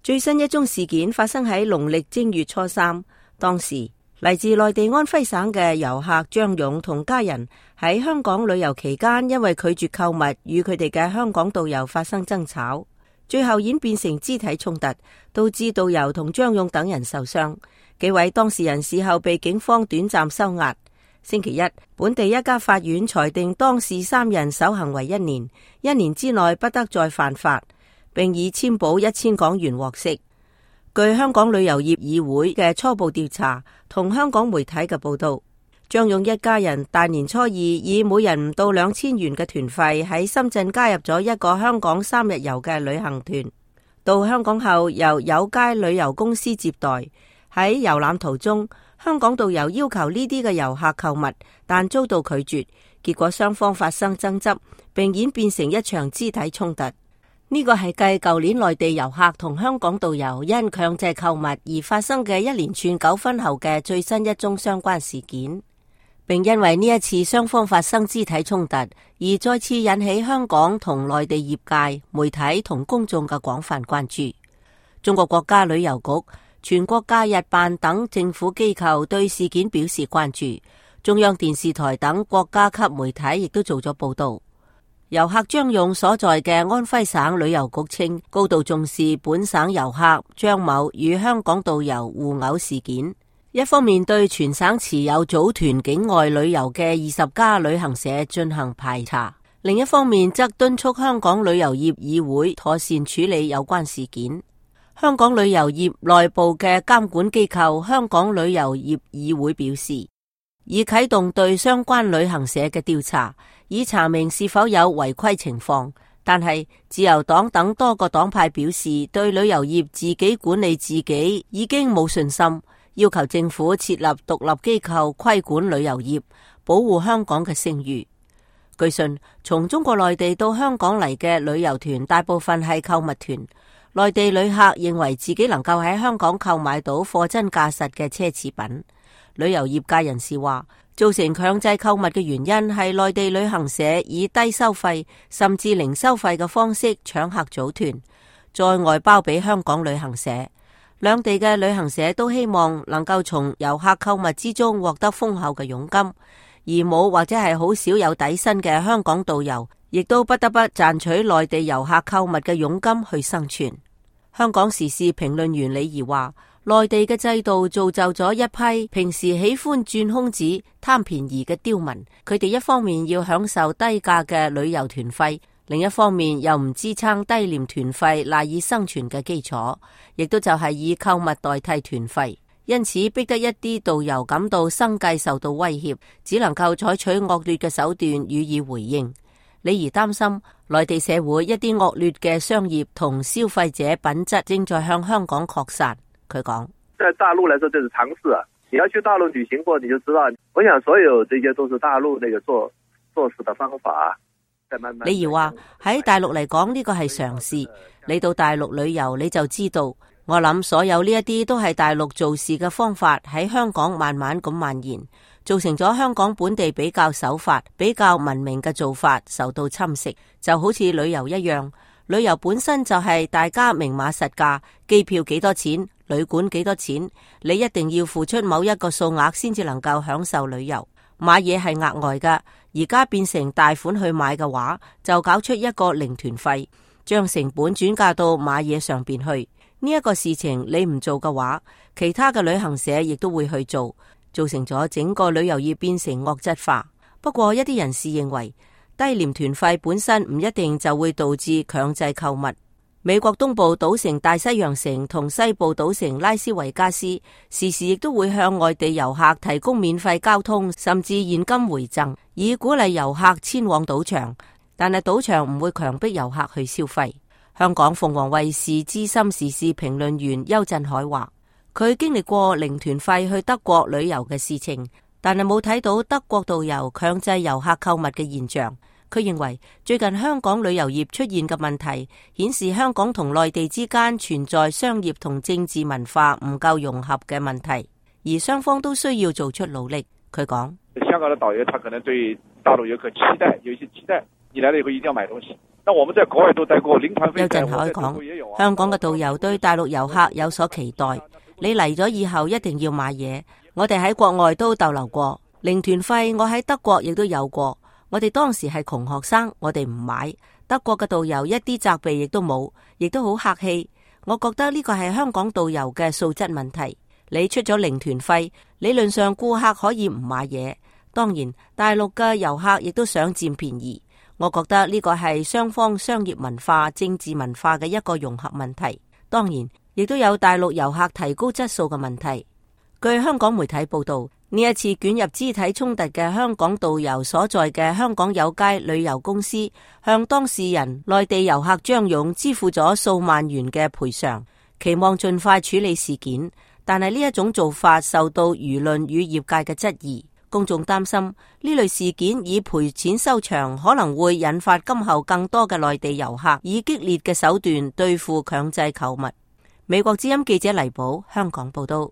最新一宗事件發生喺農曆正月初三，當時嚟自內地安徽省嘅遊客張勇同家人喺香港旅遊期間，因為拒絕購物，與佢哋嘅香港導遊發生爭吵，最後演變成肢體衝突，導致導遊同張勇等人受傷。幾位當事人事後被警方短暫收押。星期一，本地一家法院裁定當事三人守行為1年，1年之內不得再犯法，並以簽保1000港元獲釋。據香港旅遊業議會嘅初步調查同香港媒體嘅報道，張勇一家人大年初二以每人唔到2000元嘅團費喺深圳加入咗一個香港3日遊嘅旅行團。到香港後由有佳旅遊公司接待，喺遊覽途中，香港導遊要求呢啲嘅遊客購物，但遭到拒絕，結果雙方發生爭執，並演變成一場肢體衝突。呢個係繼舊年內地遊客同香港導遊因強制購物而發生嘅一連串糾紛後嘅最新一宗相關事件，並因為呢一次雙方發生肢體衝突而再次引起香港同內地業界、媒體同公眾嘅廣泛關注。中國國家旅遊局、全國假日辦等政府機構對事件表示關注，中央電視台等國家級媒體亦都做咗報道。遊客張勇所在嘅安徽省旅遊局稱，高度重視本省遊客張某與香港導遊互毆事件，一方面對全省持有組團境外旅遊嘅20家旅行社進行排查，另一方面則敦促香港旅遊業議會妥善處理有關事件。香港旅遊業內部嘅監管機構香港旅遊業議會表示，已啟動對相關旅行社嘅調查，以查明是否有違規情況。但係自由黨等多個黨派表示，對旅遊業自己管理自己已經冇信心，要求政府設立獨立機構規管旅遊業，保護香港嘅聲譽。據信，從中國內地到香港嚟嘅旅遊團大部分係購物團，內地旅客認為自己能夠喺香港購買到貨真價實嘅奢侈品。旅遊業界人士話，造成強制購物嘅原因係內地旅行社以低收費甚至零收費嘅方式搶客組團，再外包俾香港旅行社。兩地嘅旅行社都希望能夠從遊客購物之中獲得豐厚嘅佣金，而冇或者係好少有底薪嘅香港導遊，亦都不得不賺取內地遊客購物嘅佣金去生存。香港時事評論員李怡話，內地嘅制度造就咗一批平時喜歡鑽空子、貪便宜嘅刁民，佢哋一方面要享受低價嘅旅遊團費，另一方面又唔支撐低廉團費賴以生存嘅基礎，亦都就係以購物代替團費，因此逼得一啲導遊感到生計受到威脅，只能夠採取惡劣嘅手段予以回應。李怡擔心內地社會一啲惡劣嘅商業同消費者品質正在向香港擴散。佢講，在大陸來說這是常識啊，你要去大陸旅行過你就知道，我想所有這些都是大陸那個做事的方法。李怡話喺大陸嚟講呢個係常事，你到大陸旅遊你就知道，我諗所有呢一啲都係大陸做事嘅方法喺香港慢慢咁蔓延，造成咗香港本地比較守法、比較文明嘅做法受到侵蝕。就好似旅遊一樣，旅遊本身就係大家明碼實價，機票幾多錢，旅館幾多錢，你一定要付出某一個數額先至能夠享受旅遊。買嘢係額外㗎，而家變成大款去買嘅話，就搞出一個零團費，將成本轉嫁到買嘢上邊去。呢一個事情你唔做嘅話，其他嘅旅行社亦都會去做，造成咗整個旅遊業變成惡質化。不過一啲人士認為，低廉團費本身唔一定就會導致強制購物。美國東部賭城大西洋城同西部賭城拉斯維加斯時時亦都會向外地遊客提供免費交通甚至現金回贈，以鼓勵遊客遷往賭場，但係賭場唔會強迫遊客去消費。香港鳳凰衛視資深時事評論員邱振海話，佢經歷過零團費去德國旅遊嘅事情，但係冇睇到德國導遊強制遊客購物嘅現象。佢認為最近香港旅遊業出現嘅問題，顯示香港同內地之間存在商業同政治文化唔夠融合嘅問題，而雙方都需要做出努力。佢講，香港的導遊他可能對大陸遊客期待，有一些期待，你來了以後一定要買東西。那我們在國外都待過，領團飛。邱振海講，香港嘅導遊對大陸遊客有所期待，你嚟咗以後一定要買嘢。我哋喺國外都逗留過，領團費我喺德國亦都有過。我哋當時係窮學生，我哋唔買。德國嘅導遊一啲責備亦都冇，亦都好客氣。我覺得呢個係香港導遊嘅素質問題。你出咗領團費，理論上顧客可以唔買嘢。當然，大陸嘅遊客亦都想佔便宜。我覺得呢個係雙方商業文化、政治文化嘅一個融合問題。當然，亦都有大陸遊客提高質素嘅問題。據香港媒體報道，呢一次捲入肢體衝突嘅香港導遊所在嘅香港有佳旅遊公司，向當事人內地遊客張勇支付咗數萬元嘅賠償，期望盡快處理事件。但係呢一種做法受到輿論與業界嘅質疑，公眾擔心呢類事件以賠錢收場，可能會引發今後更多嘅內地遊客以激烈嘅手段對付強制購物。美國之音記者黎寶香港報道。